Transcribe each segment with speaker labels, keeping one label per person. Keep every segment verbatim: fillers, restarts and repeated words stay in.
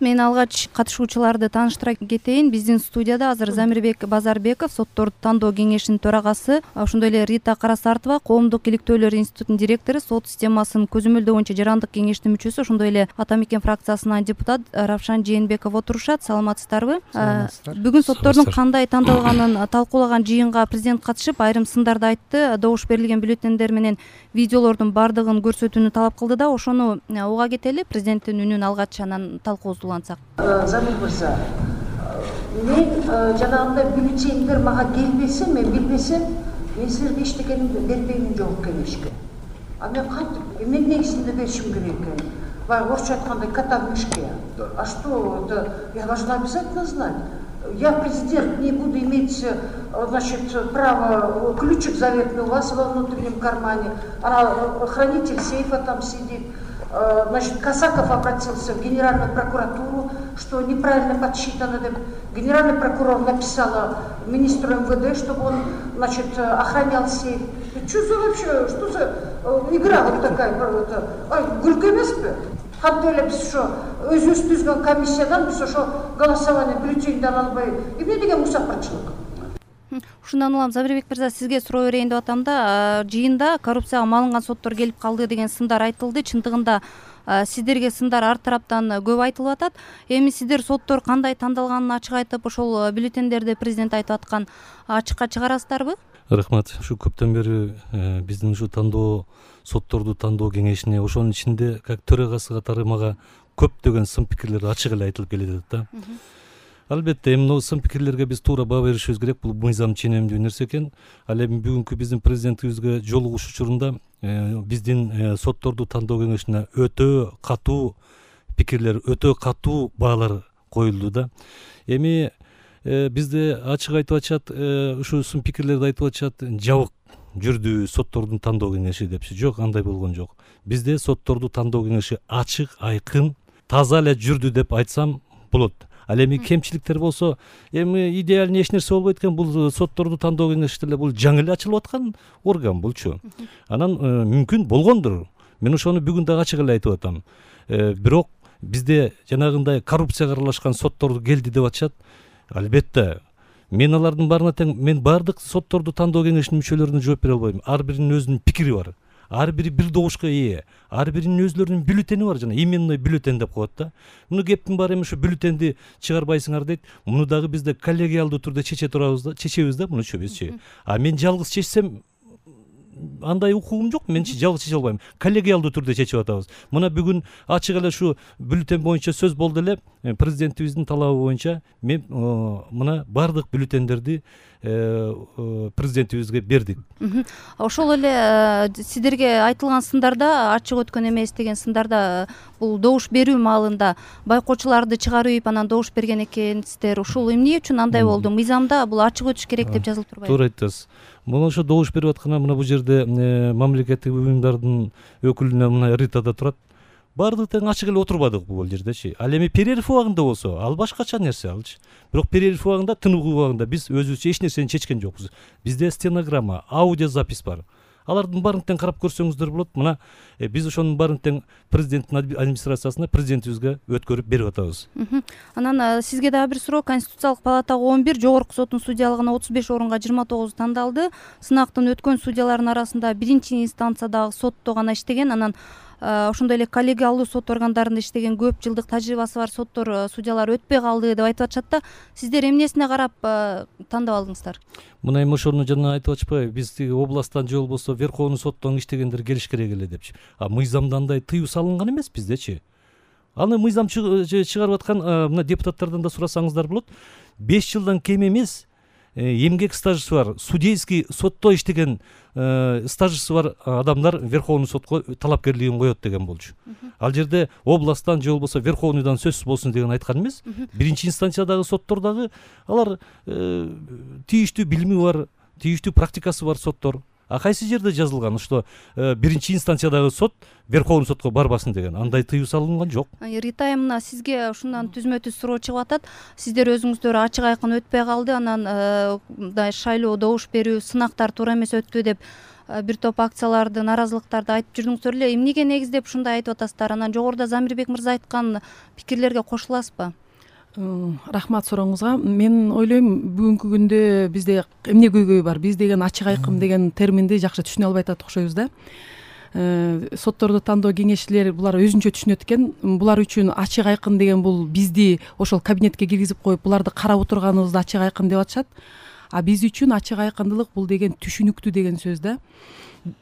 Speaker 1: Мен алгач катышуучуларды тааныштыра кетейин. Биздин студияда азыр Замирбек Базарбеков, сотторду тандоо кеңешинин төрагасы, ошондой эле Рита Карасартова, Коомдук иликтөөлөр институтунун директору, сот системасын көзөмөлдөө боюнча жарандык кеңештин мүчөсү, ошондой эле Ата Мекен фракциясынан депутат Равшан Жээнбеков отурушат. Саламатсыздарбы? Бүгүн соттордун кандай тандалганын талкуулаган жыйынга президент катышып, айрым сындарды айтты. Добуш берилген бюллетендер менен видеолордун баардыгын көрсөтүүнү талап кылды да, ошону уга кетели. Президенттин үнүн алгач анан талкуубузду улантсак.
Speaker 2: Замир мырза, мен жанагындай бюллетендер мага келбесе, мен билбесем, мен силерге эчтекени бербеймин жок кеңешке. А мен кантип, мен негизинде беришим керек экен. Баягы орусча айткандай кота в мешке. А что это? Я должна обязательно знать. Я президент, не буду иметь, значит, право, ключик заветный у вас во внутреннем кармане, а хранитель сейфа там сидит. Значит, Касаков обратился в Генеральную прокуратуру, что неправильно подсчитано. Генеральный прокурор написала министру эм вэ дэ, чтобы он, значит, охранял сейф. Что за вообще, что за игра вот такая? Ай, гүлкө эмеспи? Кантип эле биз ошо өзүбүз түзгөн комиссиядан биз ошо голосование бюллетенди ала албай, эмне деген мусафырчылык?
Speaker 1: Ушундан улам Замирбек мырза, сизге суроо берейин деп атам да. Жыйында коррупцияга малынган соттор келип калды деген сындар айтылды. Чындыгында сиздерге сындар ар тараптан көп айтылып атат. Эми сиздер соттор кандай тандалганын ачык айтып, ошол бюллетендерди президент айтып аткан ачыкка чыгарасыздарбы?
Speaker 3: Рахмат. Ушу көптөн бери биздин ушу тандоо сотторду тандоо кеңешине, ошонун ичинде как төрагасы катары мага көптөгөн сын пикирлер ачык эле айтылып келе жатат да. Албетте, эми могу сын пикирлерге биз туура баа беришибиз керек. Бул мыйзам ченемдүү нерсе экен. Ал эми бүгүнкү биздин президентибизге жолугуш учурунда биздин сотторду тандоо кеңешине өтө катуу пикирлер, өтө катуу баалар коюлду да. Эми бизде ачык айтып атышат, ушу сын пикирлерди айтып атышат, жабык жүрдү соттордун тандоо кеңеши депчи. Жок, андай болгон жок. Бизде сотторду тандоо кеңеши ачык, айкын, таза эле жүрдү деп айтсам болот. Ал эми кемчиликтер болсо, эми идеальный эч нерсе болбойт экен. Бул сотторду тандоо кеңеши деле бул жаңы эле ачылып аткан орган булчу. Анан мүмкүн болгондур. Мен ошону бүгүн дагы ачык эле айтып атам. Бирок бизде жанагындай коррупцияга аралашкан соттор келди деп атышат. Албетте, мен алардын баарына тең, мен баардык сотторду тандоо кеңешинин мүчөлөрүнө жооп бере албайм. Ар биринин өзүнүн пикири бар. Ар бири бир добушка ээ. Ар биринин өзлөрүнүн бюллетени бар, жана именной бюллетен деп коет да. Муну кептин баары эми ушу бюллетенди чыгарбайсыңар дейт. Муну дагы бизде коллегиалдуу түрдө чече турабыз да, чечебиз да мунучу бизчи. А мен жалгыз чечсем андай укугум жок. Мен жалгыз чече албайм. Коллегиалдуу түрдө чечип атабыз. Мына бүгүн ачык эле ушу бюллетен боюнча сөз болду эле. Президентибиздин талабы боюнча мен мына баардык бюллетендерди президентибизге бердик.
Speaker 1: Ошол эле сиздерге айтылган сындарда, ачык өткөн эмес деген сындарда, бул добуш берүү маалында байкоочуларды чыгарып анан добуш берген экенсиздер. Ушул эмне үчүн андай болду? Мыйзамда бул ачык өтүш керек деп жазылып турбайбы?
Speaker 3: Туура айтасыз. Мына ошо добуш берип атканда мына бул жерде мамлекеттик уюмдардын өкүлүнө мына Ритада турат. Баардык тең ачык эле отурбадык бул жердечи. Ал эми перерыв убагында болсо, ал башкача нерсе алчы. Бирок перерыв убагында, тынык убагында биз өзүбүзчө эч нерсени чечкен жокпуз. Бизде стенограмма, аудиозапись бар. Алардын баарын тең карап көрсөңүздөр болот. Мына биз ошонун баарын тең президенттин администрациясына, президентибизге өткөрүп берип атабыз.
Speaker 1: Анан сизге дагы бир суроо. Конституциялык палатага он бир, жогорку соттун судьялыгына отуз беш орунга жыйырма тогуз тандалды. Сынактын өткөн судьялардын арасында биринчи инстанциядагы сотто гана иштеген, анан ошондой эле коллегиалдуу сот органдарында иштеген көп жылдык тажрыйбасы бар соттор, судьялар өтпөй калды деп айтып атышат да. Сиздер эмнесине карап тандап алдыңыздар?
Speaker 3: Мына эми ошону жана айтып атышпайбы? Биз тиги областтан же болбосо Верховный соттон иштегендер келиш керек эле депчи. А мыйзамда андай тыюу салынган эмес биздечи. Аны мыйзам чыгарып аткан мына депутаттардан да сурасаңыздар болот. беш жылдан кем эмес эмгек стажысы бар, судейский сотто иштеген стажысы бар адамдар Верховный сотко талапкерлигин коет деген болчу. Ал жерде областтан же болбосо Верховныйдан сөзсүз болсун деген айткан эмес. Биринчи инстанциядагы соттор дагы алар тийиштүү билими бар, тийиштүү практикасы бар соттор. А кайсы жерде жазылган, что биринчи инстанциядагы сот Верховный сотко барбасын деген андай тыюу салынган жок.
Speaker 1: Рита, мына сизге ушундан түзмө-түз суроо чыгып атат. Сиздер өзүңүздөр ачык айкын өтпөй калды, анан шайлоо, добуш берүү, сынактар туура эмес өттү деп бир топ акцияларды, нааразылыктарды айтып жүрдүңүздөр эле. Эмнеге негиздеп ушундай айтып атасыздар? Анан жогоруда Замирбек мырза айткан пикирлерге кошуласызбы?
Speaker 4: Рахмат сурооңузга. Мен ойлойм, бүгүнкү күндө бизде эмне көйгөй бар? Биз деген ачык айкым деген терминди жакшы түшүнө албай атат окшойбуз да. Сотторду тандоо кеңешчилери булар өзүнчө түшүнөт экен. Булар үчүн ачык айкын деген бул бизди ошол кабинетке киргизип коюп, буларды карап отурганыбызды ачык айкын деп атышат. А биз үчүн ачык айкындылык бул деген түшүнүктүү деген сөз да.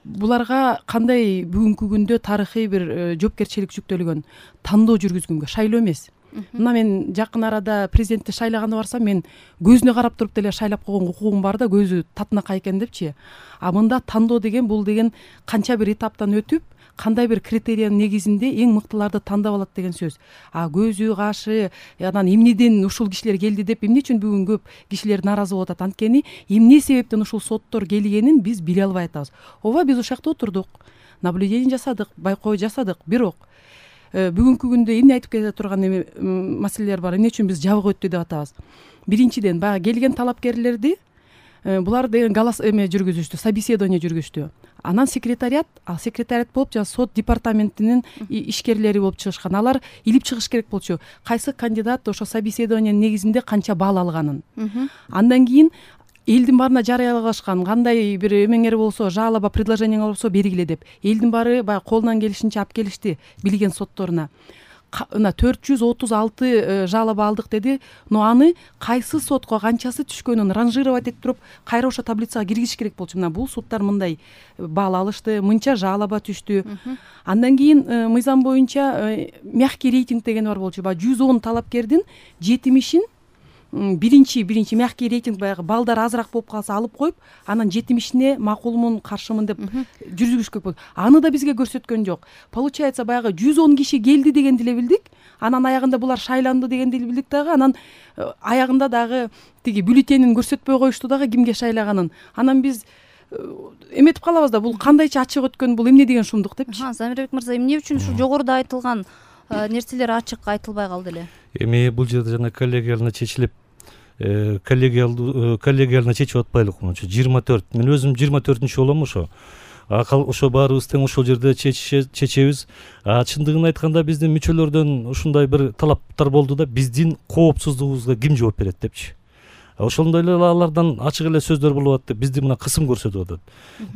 Speaker 4: Буларга кандай бүгүнкү күндө тарыхый бир жоопкерчилик жүктөлгөн, тандоо жүргүзгөнгө, шайлоо эмес. Мына мен жакын арада президентти шайлаганы барсам, мен көзүнө карап туруп деле шайлап койгон укугум бар да, көзү татынакай экен депчи. А мында тандоо деген бул деген канча бир этаптан өтүп, кандай бир критериянын негизинде эң мыктыларды тандап алат деген сөз. А көзү, кашы, анан эмнеден ушул кишилер келди деп эмне үчүн бүгүн көп кишилер нааразы болуп атат? Анткени эмне себептен ушул соттор келгенин биз биле албай атабыз. Ооба, биз ушул жакта отурдук, наблюдение жасадык, байкоо жасадык, бирок бүгүнкү күндө эмне айтып келе турган эме маселелер бар. Эмне үчүн биз жабык өттү деп атабыз? Биринчиден, баягы келген талапкерлерди булар деген голос эме жүргүзүштү, собеседование жүргүзүштү. Анан секретариат, ал секретариат болуп, жана сот департаментинин ишкерлери болуп чыгышкан. Алар илип чыгыш керек болчу. Кайсы кандидат ошо собеседованиянын негизинде канча балл алганын. Андан кийин элдин баарына жарыялагашкан, кандай бир эмеңер болсо, жалоба, предложениең болсо бергиле деп. Элдин баары баягы колунан келишинче алып келишти билген сотторуна. Мына төрт жүз отуз алты жалоба алдык деди. Но аны кайсы сотко канчасы түшкөнүн ранжировать этип туруп, кайра ошо таблицага киргизиш керек болчу. Мына бул суттар мындай балл алышты, мынча жалоба түштү. Андан кийин мыйзам боюнча мягкий рейтинг деген бар болчу. Баягы жүз он талапкердин жетимишин биринчи биринчи мягкий рейтинг, баягы балдар азыраак болуп калса алып коюп, анан жетимишине макулмун, каршымын деп жүргүзүш керек болду. Аны да бизге көрсөткөн жок. Получается, баягы жүз он киши келди дегенди эле билдик. Анан аягында булар шайланды дегенди эле билдик дагы. Анан аягында дагы тиги бюллетенин көрсөтпөй коюшту дагы кимге шайлаганын. Анан биз эметип калабыз да, бул кандайча ачык өткөн, бул эмне деген шумдук депчи.
Speaker 1: Замирбек мырза, эмне үчүн ушу жогоруда айтылган нерселер ачык айтылбай калды эле?
Speaker 3: Эми бул жерде жана коллегияльно чечилип, коллегиялдуу коллегияльно чечип атпайлык мынча жыйырма төрт. Мен өзүм жыйырма төртүнчү болом ошо. Ошо баарыбыз тең ошол жерде чечебиз. Чындыгын айтканда биздин мүчөлөрдөн ушундай бир талаптар болду да, биздин коопсуздугубузга ким жооп берет депчи. Ошондой эле алардан ачык эле сөздөр болуп атты. Бизди мына кысым көрсөтүп атат.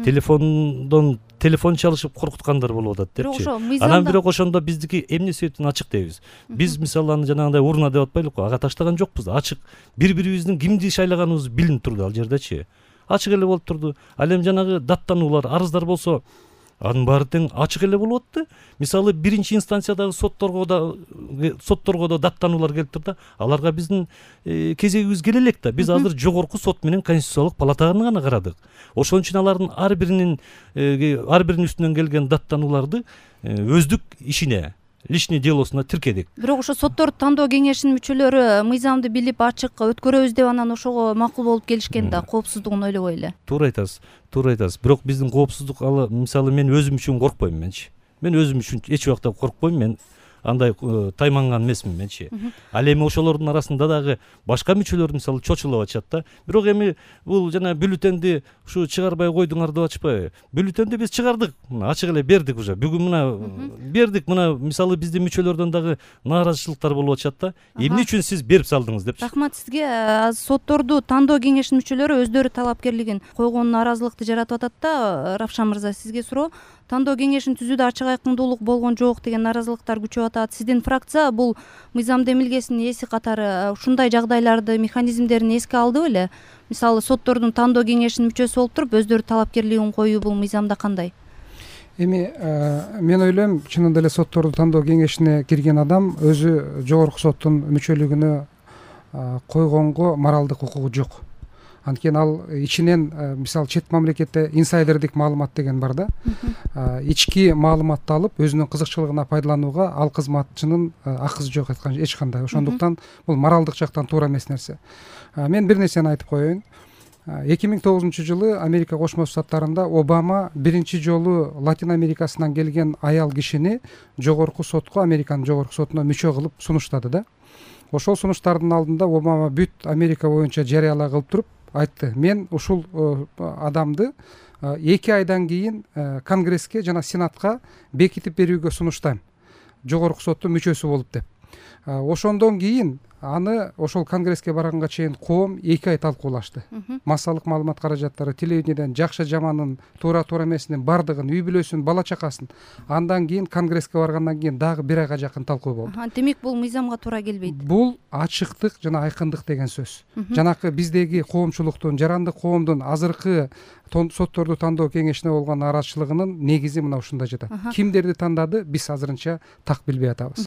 Speaker 3: Телефондон телефон чалышып коркуткандар болуп атат депчи. Анан бирок ошондо биздики эмне себептен ачык дейбиз? Биз мисалы аны жанагындай урна деп атпайлыкпы? Ага таштаган жокпуз. Ачык бири-бирибиздин кимди шайлаганыбыз билинип турду ал жердечи. Ачык эле болуп турду. Ал эми жанагы даттануулар, арыздар болсо, анын баары тең ачык эле болуп атты. Мисалы биринчи инстанциядагы сотторго да сотторго да даттануулар келип турду. Аларга биздин кезегибиз келе элек да. Биз азыр жогорку сот менен Конституциялык палатаны гана карадык. Ошон үчүн алардын ар биринин ар биринин үстүнөн келген даттануларды өздүк ишине, личный делосуна тиркедик.
Speaker 1: Бирок ошо сотторду тандоо кеңешинин мүчөлөрү мыйзамды билип ачык өткөрөбүз деп анан ошого макул болуп келишкен да, коопсуздугун ойлобой эле.
Speaker 3: Туура айтасыз, туура айтасыз. Бирок биздин коопсуздук, ал мисалы мен өзүм үчүн коркпойм менчи. Мен өзүм үчүн эч убакта коркпойм. Мен андай тайманган эмесмин менчи. Ал эми ошолордун арасында дагы башка мүчөлөр мисалы чочулуп атышат да. Бирок эми бул жана бюллетенди ушу чыгарбай койдуңар деп атышпайбы? Бюллетенди биз чыгардык, ачык эле бердик уже. Бүгүн мына бердик, мына мисалы биздин мүчөлөрдөн дагы нааразычылыктар болуп атышат да. Эмне үчүн сиз берип салдыңыз депчи.
Speaker 1: Рахмат сизге. Сотторду тандоо кеңешинин мүчөлөрү өздөрү талапкерлигин койгон нааразылыкты жаратып атат да. Равшан мырза, сизге суроо. Тандоо кеңешин түзүүдө ачык айкындуулук болгон жок деген нааразылыктар күчөп атат. Сиздин фракция бул мыйзам демилгесинин ээси катары ушундай жагдайларды, механизмдерин эске алды беле? Мисалы, соттордун тандоо кеңешинин мүчөсү болуп туруп, өздөрү талапкерлигин коюу бул мыйзамда кандай?
Speaker 5: Эми мен ойлойм, чынында эле соттордун тандоо кеңешине кирген адам өзү жогорку соттун мүчөлүгүнө койгонго моралдык укугу жок. Анткени ал ичинен, мисалы, чет мамлекетте инсайдердик маалымат деген бар да. Ички маалыматты алып, өзүнүн кызыкчылыгына пайдаланууга ал кызматчынын акысы жок айткан эч кандай. Ошондуктан бул моралдык жактан туура эмес нерсе. Мен бир нерсени айтып коеюн. эки миң тогузунчу жылы Америка Кошмо Штаттарында Обама биринчи жолу Латин Америкасынан келген аял кишини жогорку сотко, Американын жогорку сотуна мүчө кылып сунуштады да. Ошол сунуштардын алдында Обама бүт Америка боюнча жарыялаа кылып туруп, айтты. Мен ушул адамды эки айдан кийин Конгресске жана Сенатка бекитип берүүгө сунуштайм, жогорку соттун мүчөсү болуп деп. Ошондон кийин аны ошол Конгресске барганга чейин коом эки ай талкуулашты. Массалык маалымат каражаттары, телевидениеден жакшы жаманын, туура туура эмесинин бардыгын, үй бүлөсүн, бала чакасын. Андан кийин Конгресске баргандан кийин дагы бир айга жакын талкуу болду.
Speaker 1: Демек бул мыйзамга туура келбейт.
Speaker 5: Бул ачыктык жана айкындык деген сөз. Жанакы биздеги коомчулуктун, жарандык коомдун азыркы сотторду тандоо кеңешине болгон нааразычылыгынын негизи мына ушунда жатат. Кимдерди тандады, биз азырынча так билбей атабыз.